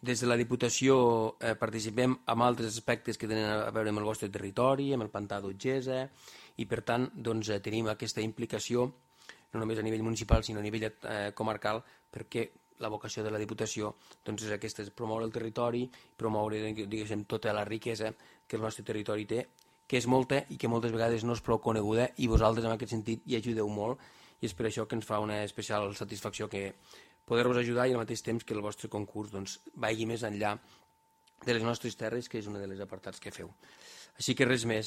Des de la Diputació participem en altres aspectes que tenen a veure amb el vostre territori, amb el pantà d'Otgesa, i per tant tenim aquesta implicació no només a nivell municipal sinó a nivell comarcal, perquè la vocació de la Diputació és aquesta, és promoure el territori, promoure tota la riquesa que el nostre territori té, que és molta i que moltes vegades no és prou coneguda, i vosaltres en aquest sentit hi ajudeu molt, i és per això que ens fa una especial satisfacció que poder-vos ajudar i al mateix temps que el vostre concurs vagi més enllà de les nostres terres, que és un dels apartats que feu. Així que res més,